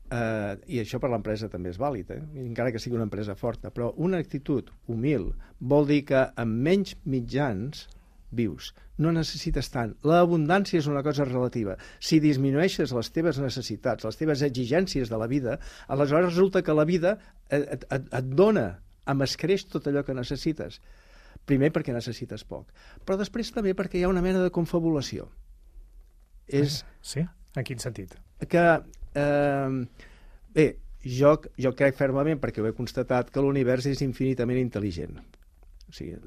Speaker 6: i això per l'empresa també és vàlid, encara que sigui una empresa forta, però una actitud humil vol dir que amb menys mitjans vius. No necessites tant. L'abundància és una cosa relativa. Si disminueixes les teves necessitats, les teves exigències de la vida, aleshores resulta que la vida et dona amb escreix tot allò que necessites. Primer perquè necessites poc, però després també perquè hi ha una mena de confabulació.
Speaker 2: Sí? En quin sentit?
Speaker 6: Que, bé, jo crec fermament, perquè ho he constatat, que l'univers és infinitament intel·ligent. O sigui,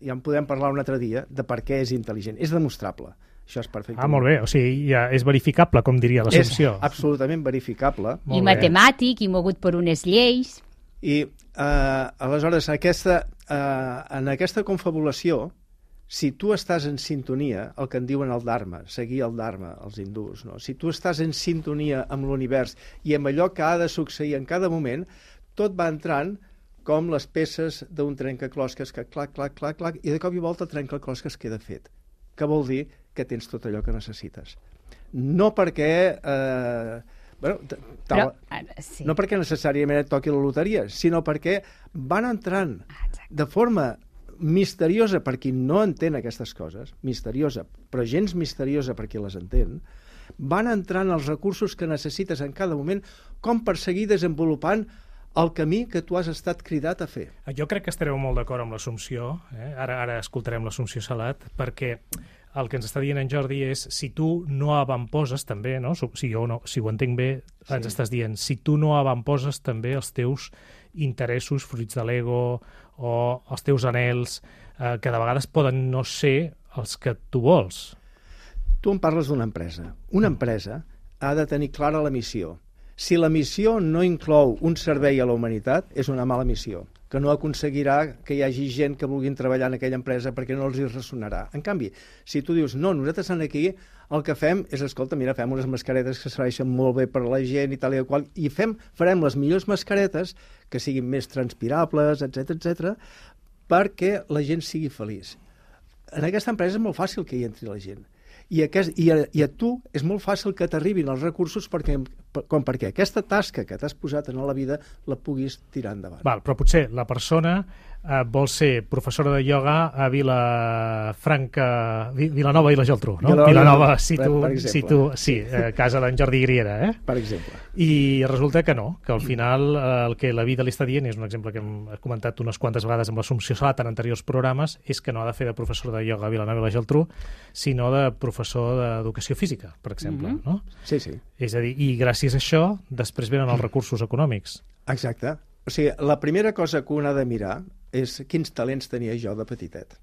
Speaker 6: ja en podem parlar un altre dia de per què és intel·ligent. És demostrable. Això és perfecte.
Speaker 2: Molt bé. O sigui, ja és verificable, com diria l'Assumpció.
Speaker 6: És absolutament verificable.
Speaker 5: I matemàtic, i mogut per unes lleis.
Speaker 6: I, aleshores, en aquesta confabulació, si tu estàs en sintonia, el que en diuen el Dharma, seguir el Dharma, els hindús, no? Si tu estàs en sintonia amb l'univers i amb allò que ha de succeir en cada moment, tot va entrant com les peces d'un trencaclosques que clac, clac, clac, clac, i de cop i volta el trencaclosques queda fet. Què vol dir? Que tens tot allò que necessites. No perquè... no perquè necessàriament et toqui la loteria, sinó perquè van entrant de forma misteriosa per qui no entén aquestes coses, misteriosa, però gens misteriosa per qui les entén, van entrant els recursos que necessites en cada moment com per seguir desenvolupant el camí que tu has estat cridat a fer.
Speaker 2: Jo crec que estareu molt d'acord amb l'Assumpció, ara escoltarem l'Assumpció Salat, perquè el que ens està dient en Jordi és si tu no avamposes també, no? Si ho entenc bé, ens estàs dient, si tu no avamposes també els teus interessos, fruits de l'ego o els teus anhels, que de vegades poden no ser els que tu vols.
Speaker 6: Tu em parles d'una empresa. Una empresa ha de tenir clara la missió. Si la missió no inclou un servei a la humanitat, és una mala missió, que no aconseguirà que hi hagi gent que vulguin treballar en aquella empresa perquè no els hi ressonarà. En canvi, si tu dius, no, nosaltres aquí el que fem és, escolta, mira, fem unes mascaretes que serveixen molt bé per a la gent i tal i qual, i farem les millors mascaretes que siguin més transpirables, etc, perquè la gent sigui feliç. En aquesta empresa és molt fàcil que hi entri la gent. I a tu és molt fàcil que t'arribin els recursos perquè aquesta tasca que t'has posat en la vida la puguis tirar endavant.
Speaker 2: Però potser la persona vol ser professora de ioga a Vilanova i la Geltrú, no? Vilanova, casa d'en Jordi Griera,
Speaker 6: Per exemple.
Speaker 2: I resulta que no, que al final el que la vida li està dient, és un exemple que hem comentat unes quantes vegades amb l'Assumpció Salat en anteriors programes, és que no ha de fer de professor de ioga a Vilanova i la Geltrú, sinó de professor d'educació física, per exemple, no?
Speaker 6: Sí.
Speaker 2: És a dir, i gràcies a això després venen els recursos econòmics.
Speaker 6: Exacte. O sigui, la primera cosa que un ha de mirar és quins talents tenia jo de petitet.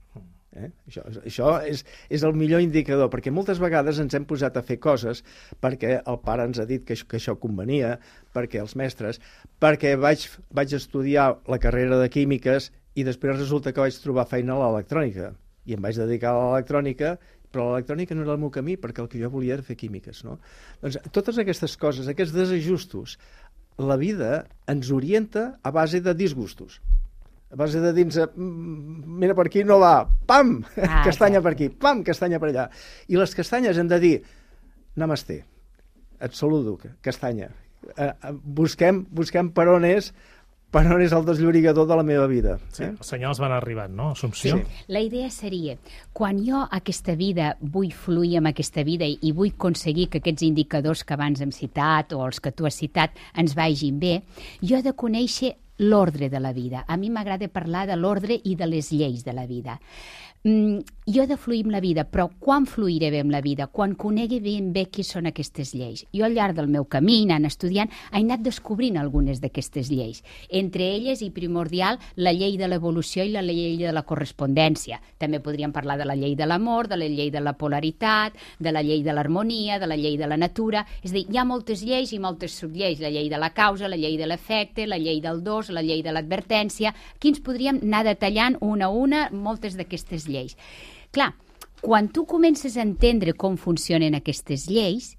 Speaker 6: Això és el millor indicador, perquè moltes vegades ens hem posat a fer coses perquè el pare ens ha dit que això convenia, perquè els mestres, perquè vaig estudiar la carrera de químiques i després resulta que vaig trobar feina a l'electrònica i em vaig dedicar a l'electrònica, però l'electrònica no era el meu camí perquè el que jo volia era fer químiques, no? Doncs totes aquestes coses, aquests desajustos, la vida ens orienta a base de disgustos. A base de dir-nos, mira, per aquí no va, pam, castanya per aquí, pam, castanya per allà. I les castanyes hem de dir, namasté, et saludo, castanya. Busquem per on és per on és el desllorigador de la meva vida.
Speaker 2: Sí, els senyals van arribant, no, Assumpció?
Speaker 6: Sí.
Speaker 5: La idea seria, quan jo aquesta vida vull fluir amb aquesta vida i vull aconseguir que aquests indicadors que abans hem citat o els que tu has citat ens vagin bé, jo he de conèixer l'ordre de la vida. A mi m'agrada parlar de l'ordre i de les lleis de la vida. Jo he de fluir amb la vida, però quan fluiré bé amb la vida? Quan conegui ben bé qui són aquestes lleis. Jo al llarg del meu camí, anant estudiant, he anat descobrint algunes d'aquestes lleis. Entre elles, i primordial, la llei de l'evolució i la llei de la correspondència. També podríem parlar de la llei de l'amor, de la llei de la polaritat, de la llei de l'harmonia, de la llei de la natura. És a dir, hi ha moltes lleis i moltes sublleis. La llei de la causa, la llei de l'efecte, la llei del dos, la llei de l'advertència. Aquí ens podríem anar detallant una a una moltes d'aquestes lleis. Clar, quan tu comences a entendre com funcionen aquestes lleis,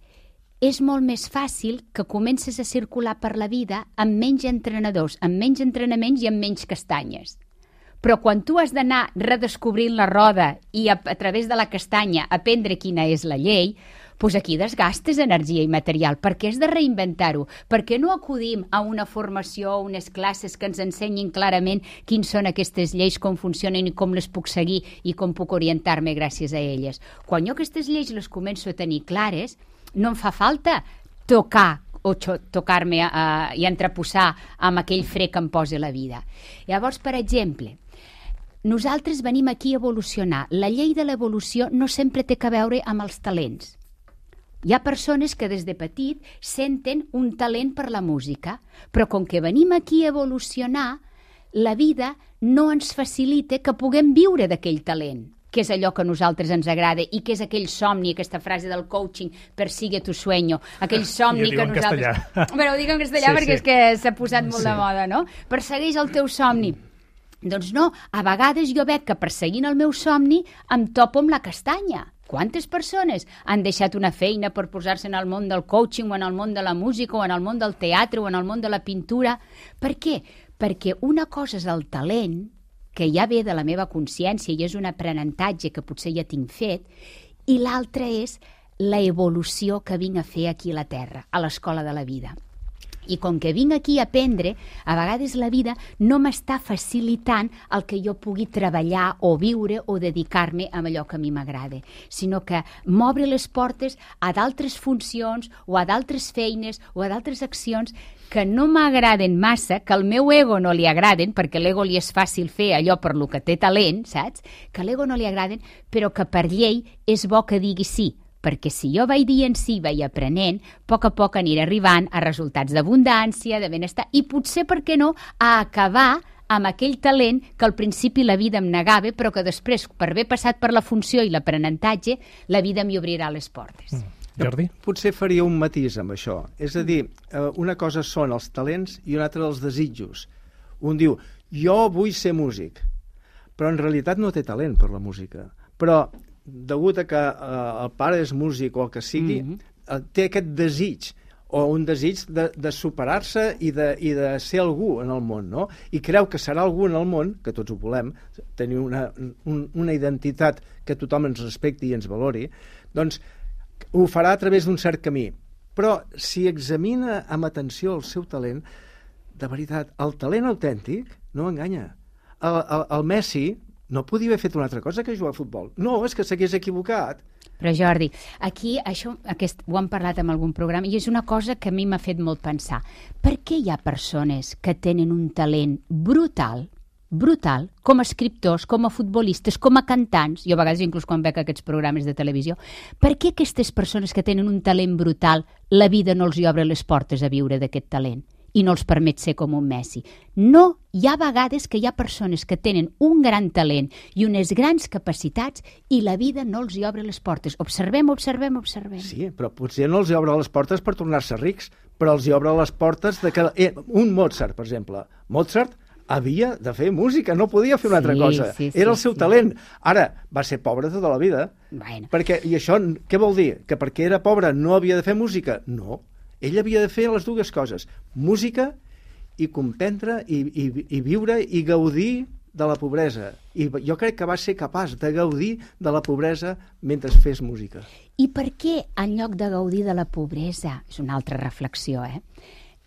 Speaker 5: és molt més fàcil que comences a circular per la vida amb menys entrenadors, amb menys entrenaments i amb menys castanyes. Però quan tu has d'anar redescobrint la roda i a través de la castanya aprendre quina és la llei, doncs aquí desgastes energia i material. Per què has de reinventar-ho? Per què no acudim a una formació o unes classes que ens ensenyin clarament quins són aquestes lleis, com funcionen i com les puc seguir i com puc orientar-me gràcies a elles? Quan jo aquestes lleis les començo a tenir clares, no em fa falta tocar-me i entreposar amb aquell fre que em posa la vida. Llavors, per exemple, nosaltres venim aquí a evolucionar. La llei de l'evolució no sempre té a veure amb els talents. Hi ha persones que des de petit senten un talent per la música, però com que venim aquí a evolucionar, la vida no ens facilita que puguem viure d'aquell talent, que és allò que a nosaltres ens agrada i que és aquell somni, aquesta frase del coaching, persigue tu sueño, aquell somni que nosaltres... Però ho dic en castellà perquè és que s'ha posat molt de moda, no? Persegueix el teu somni. Doncs no, a vegades jo veig que perseguint el meu somni em topo amb la castanya. Quantes persones han deixat una feina per posar-se en el món del coaching o en el món de la música o en el món del teatre o en el món de la pintura? Per què? Perquè una cosa és el talent, que ja ve de la meva consciència i és un aprenentatge que potser ja tinc fet, i l'altra és la evolució que vinc a fer aquí a la Terra, a l'escola de la vida. I com que vinc aquí a aprendre, a vegades la vida no m'està facilitant el que jo pugui treballar o viure o dedicar-me a allò que a mi m'agrada, sinó que m'obre les portes a d'altres funcions o a d'altres feines o a d'altres accions que no m'agraden massa, que al meu ego no li agraden, perquè a l'ego li és fàcil fer allò per lo que té talent, saps? Que a l'ego no li agraden, però que per llei és bo que digui sí, perquè si jo vaig dient sí, vaig aprenent, a poc aniré arribant a resultats d'abundància, de benestar, i potser, per què no, a acabar amb aquell talent que al principi la vida em negava, però que després, per haver passat per la funció i l'aprenentatge, la vida m'hi obrirà les portes.
Speaker 2: Jordi?
Speaker 6: Potser faria un matís amb això. És a dir, una cosa són els talents i una altra els desitjos. Un diu, jo vull ser músic, però en realitat no té talent per la música. Però degut a que el pare és músic o el que sigui, té aquest desig o un desig de superar-se i de ser algú en el món, no? I creu que serà algú en el món, que tots ho volem, tenir una identitat que tothom ens respecti i ens valori, doncs ho farà a través d'un cert camí. Però si examina amb atenció el seu talent, de veritat, el talent autèntic no enganya. El Messi no podia haver fet una altra cosa que jugar a futbol. No, és que s'hagués equivocat.
Speaker 5: Però Jordi, aquí ho hem parlat en algun programa i és una cosa que a mi m'ha fet molt pensar. Per què hi ha persones que tenen un talent brutal, com a escriptors, com a futbolistes, com a cantants, jo a vegades inclús quan veig aquests programes de televisió, per què aquestes persones que tenen un talent brutal la vida no els hi obre les portes a viure d'aquest talent i no els permet ser com un Messi? No, hi ha vegades que hi ha persones que tenen un gran talent i unes grans capacitats i la vida no els hi obre les portes. Observem.
Speaker 6: Sí, però potser no els hi obre les portes per tornar-se rics, però els hi obre les portes de que... un Mozart, per exemple. Mozart havia de fer música, no podia fer una altra cosa. Era el seu talent. Ara, va ser pobre tota la vida.
Speaker 5: Bueno.
Speaker 6: I això què vol dir? Que perquè era pobre no havia de fer música? No. Ell havia de fer les dues coses, música i comprendre i viure i gaudir de la pobresa. I jo crec que va ser capaç de gaudir de la pobresa mentre fes música.
Speaker 5: I per què, en lloc de gaudir de la pobresa, és una altra reflexió,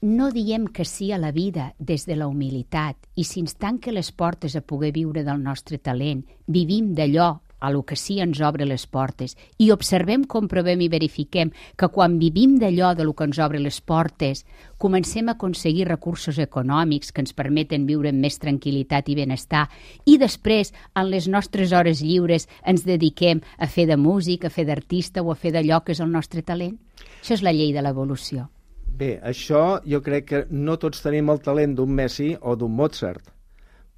Speaker 5: no diem que sí a la vida des de la humilitat i si ens tanca les portes a poder viure del nostre talent, vivim d'allò a lo que sí ens obre les portes i observem, comprovem i verifiquem que quan vivim d'allò de lo que ens obre les portes comencem a aconseguir recursos econòmics que ens permeten viure amb més tranquil·litat i benestar i després, en les nostres hores lliures, ens dediquem a fer de músic, a fer d'artista o a fer d'allò que és el nostre talent. Això és la llei de l'evolució.
Speaker 6: Bé, això jo crec que no tots tenim el talent d'un Messi o d'un Mozart,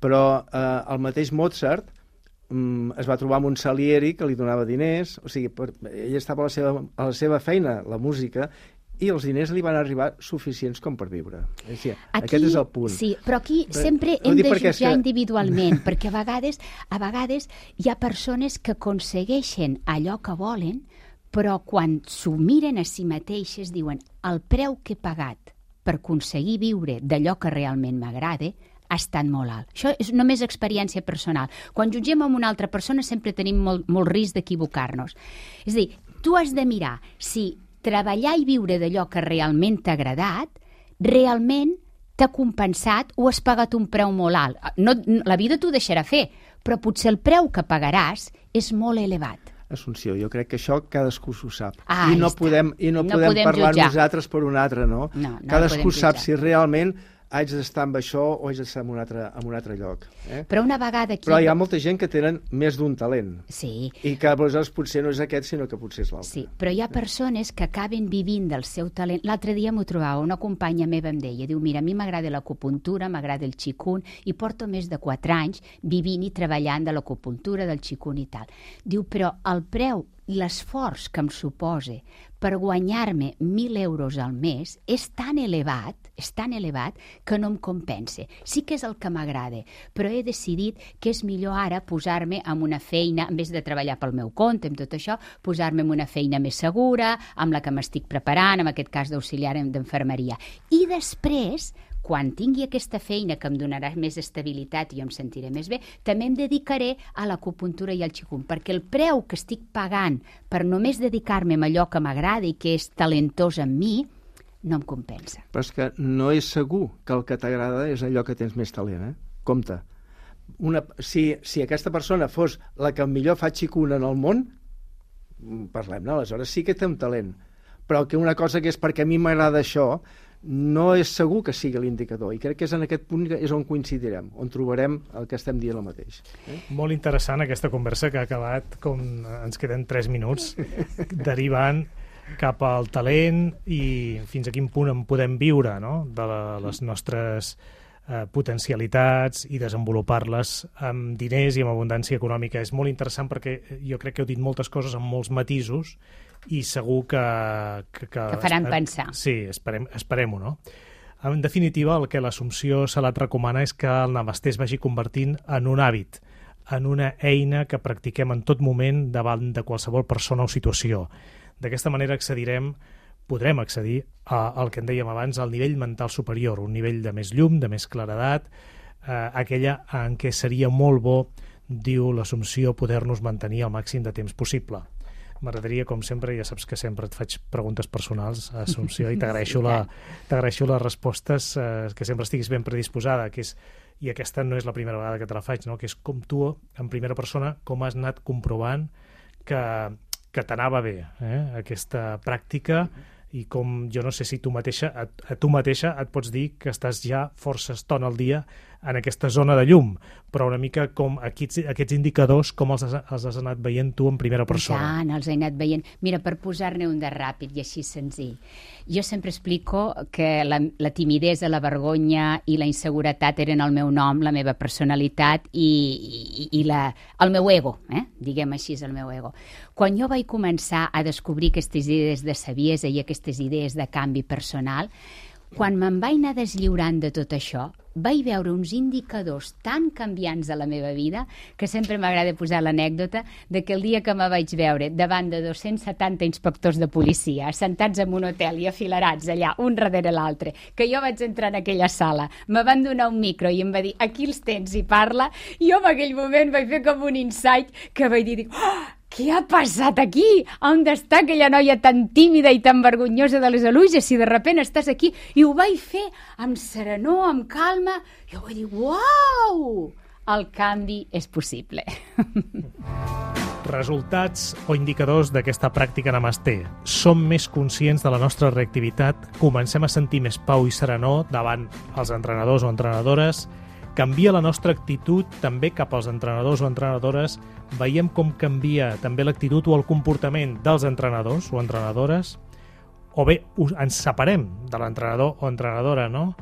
Speaker 6: però el mateix Mozart es va trobar amb un Salieri que li donava diners, o sigui, ell estava a la seva feina, la música, i els diners li van arribar suficients com per viure. Aquí, aquest és el punt.
Speaker 5: Sí, però aquí sempre hem de jutjar individualment, perquè a vegades hi ha persones que aconsegueixen allò que volen, però quan s'ho miren a si mateixes diuen el preu que he pagat per aconseguir viure d'allò que realment m'agrada ha estat molt alt. Això és només experiència personal. Quan jutgem amb una altra persona sempre tenim molt risc d'equivocar-nos. És a dir, tu has de mirar si treballar i viure d'allò que realment t'ha agradat realment t'ha compensat o has pagat un preu molt alt. La vida t'ho deixarà fer, però potser el preu que pagaràs és molt elevat.
Speaker 6: Assumpció, jo crec que això cadascú s'ho sap.
Speaker 5: I no podem
Speaker 6: parlar
Speaker 5: jutjar.
Speaker 6: Nosaltres per un altre, no? Cadascú sap si realment haig d'estar amb això o haig d'estar en un altre lloc.
Speaker 5: Però una vegada aquí...
Speaker 6: Però hi ha molta gent que tenen més d'un talent.
Speaker 5: Sí.
Speaker 6: I que aleshores potser no és aquest, sinó que potser és l'altre.
Speaker 5: Sí, però hi ha persones que acaben vivint del seu talent. L'altre dia m'ho trobava, una companya meva em deia, diu, mira, a mi m'agrada l'acupuntura, m'agrada el qigong, i porto més de 4 anys vivint i treballant de l'acupuntura, del qigong i tal. Diu, però el preu, l'esforç que em suposa per guanyar-me 1.000 euros al mes és tan elevat que no em compensa. Sí que és el que m'agrada, però he decidit que és millor ara posar-me en una feina, en vez de treballar pel meu compte, amb tot això, posar-me en una feina més segura, amb la que m'estic preparant, en aquest cas d'auxiliar d'enfermeria. I després, quan tingui aquesta feina que em donarà més estabilitat i jo em sentiré més bé, també em dedicaré a l'acupuntura i al qigong, perquè el preu que estic pagant per només dedicar-me a allò que m'agrada i que és talentós en mi, no em compensa.
Speaker 6: Però és que no és segur que el que t'agrada és allò que tens més talent, Compte. Si aquesta persona fos la que millor fa qigong en el món, parlem-ne, aleshores sí que té un talent. Però que una cosa que és perquè a mi m'agrada això, no és segur que sigui l'indicador, i crec que és en aquest punt és on coincidirem, on trobarem el que estem dient el mateix.
Speaker 2: Molt interessant aquesta conversa que ha acabat, com ens queden 3 minuts, derivant cap al talent i fins a quin punt en podem viure, no?, de les nostres potencialitats i desenvolupar-les amb diners i amb abundància econòmica. És molt interessant perquè jo crec que heu dit moltes coses amb molts matisos i segur que
Speaker 5: faran pensar.
Speaker 2: Sí, esperem-ho, no? En definitiva, el que l'Assumpció Salat recomana és que el Namasté es vagi convertint en un hàbit, en una eina que practiquem en tot moment davant de qualsevol persona o situació. D'aquesta manera podrem accedir al que en dèiem abans, al nivell mental superior, un nivell de més llum, de més claredat, aquella en què seria molt bo, diu l'Assumpció, poder-nos mantenir el màxim de temps possible. M'agradaria, com sempre, ja saps que sempre et faig preguntes personals, Assumpció, i t'agraeixo les respostes, que sempre estiguis ben predisposada, i aquesta no és la primera vegada que te la faig, no? Que és com tu, en primera persona, com has anat comprovant que t'anava bé, aquesta pràctica, i com, jo no sé si tu mateixa et pots dir que estàs ja força estona al dia en aquesta zona de llum, però una mica com aquests indicadors, com els has anat veient tu en primera persona.
Speaker 5: Tant, els he anat veient. Mira, per posar-ne un de ràpid i així senzill. Jo sempre explico que la timidesa, la vergonya i la inseguretat eren el meu nom, la meva personalitat i el meu ego, diguem així, el meu ego. Quan jo vaig començar a descobrir aquestes idees de saviesa i aquestes idees de canvi personal, quan me'n vaig anar deslliurant de tot això, vaig veure uns indicadors tan canviants de la meva vida que sempre m'agrada posar l'anècdota de que el dia que me vaig veure davant de 270 inspectors de policia assentats en un hotel i afilerats allà, un darrere l'altre, que jo vaig entrar en aquella sala, me van donar un micro i em va dir, aquí els tens i parla, i jo en aquell moment vaig fer com un insight que vaig dir, què ha passat aquí? On està aquella noia tan tímida i tan vergonyosa de les Aluges si de sobte estàs aquí? I ho vaig fer amb serenor, amb calma, i vaig dir, uau! El canvi és possible.
Speaker 2: Resultats o indicadors d'aquesta pràctica Namasté. Som més conscients de la nostra reactivitat, comencem a sentir més pau i serenor davant els entrenadors o entrenadores, canvia la nostra actitud també cap als entrenadors o entrenadores, veiem com canvia també l'actitud o el comportament dels entrenadors o entrenadores, o bé ens separem de l'entrenador o entrenadora, no?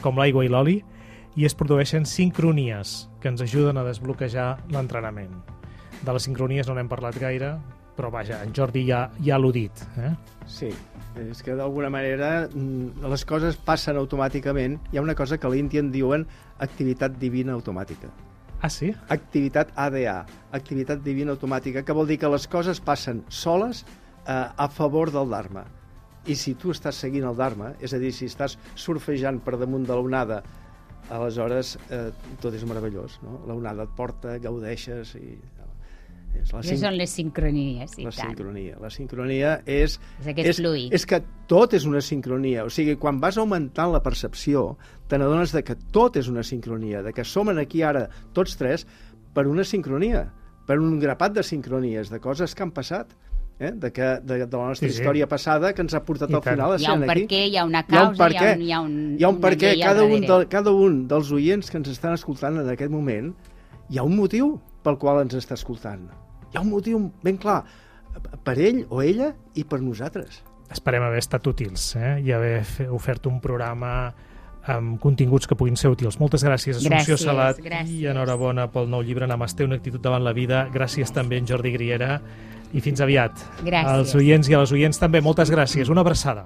Speaker 2: Com l'aigua i l'oli, i es produeixen sincronies que ens ajuden a desbloquejar l'entrenament. De les sincronies no n'hem parlat gaire, però vaja, en Jordi ja l'ho dit.
Speaker 6: Sí, és que d'alguna manera les coses passen automàticament. Hi ha una cosa que a l'Índia en diuen activitat divina automàtica.
Speaker 2: Ah, sí?
Speaker 6: Activitat ADA, activitat divina automàtica, que vol dir que les coses passen soles a favor del Dharma. I si tu estàs seguint el Dharma, és a dir, si estàs surfejant per damunt de l'onada, aleshores tot és meravellós, no? L'onada et porta, gaudeixes i...
Speaker 5: Són les sincronies, i tant.
Speaker 6: La sincronia és
Speaker 5: fluid.
Speaker 6: És que tot és una sincronia. O sigui, quan vas augmentant la percepció, te n'adones de que tot és una sincronia, de que som aquí ara, tots tres, per una sincronia, per un grapat de sincronies, de coses que han passat, de la nostra història passada, que ens ha portat al final a ser aquí.
Speaker 5: Hi ha un perquè, hi ha una causa, hi ha un
Speaker 6: perquè. Cada un dels oients que ens estan escoltant en aquest moment, hi ha un motiu pel qual ens està escoltant. Hi ha un motiu ben clar, per ell o ella i per nosaltres.
Speaker 2: Esperem haver estat útils i haver ofert un programa amb continguts que puguin ser útils. Moltes gràcies, Assumpció Salat, i enhorabona pel nou llibre Namasté, una actitud davant la vida. Gràcies també a en Jordi Griera i fins aviat.
Speaker 5: Gràcies.
Speaker 2: Als oients i a les oients també, moltes gràcies. Una abraçada.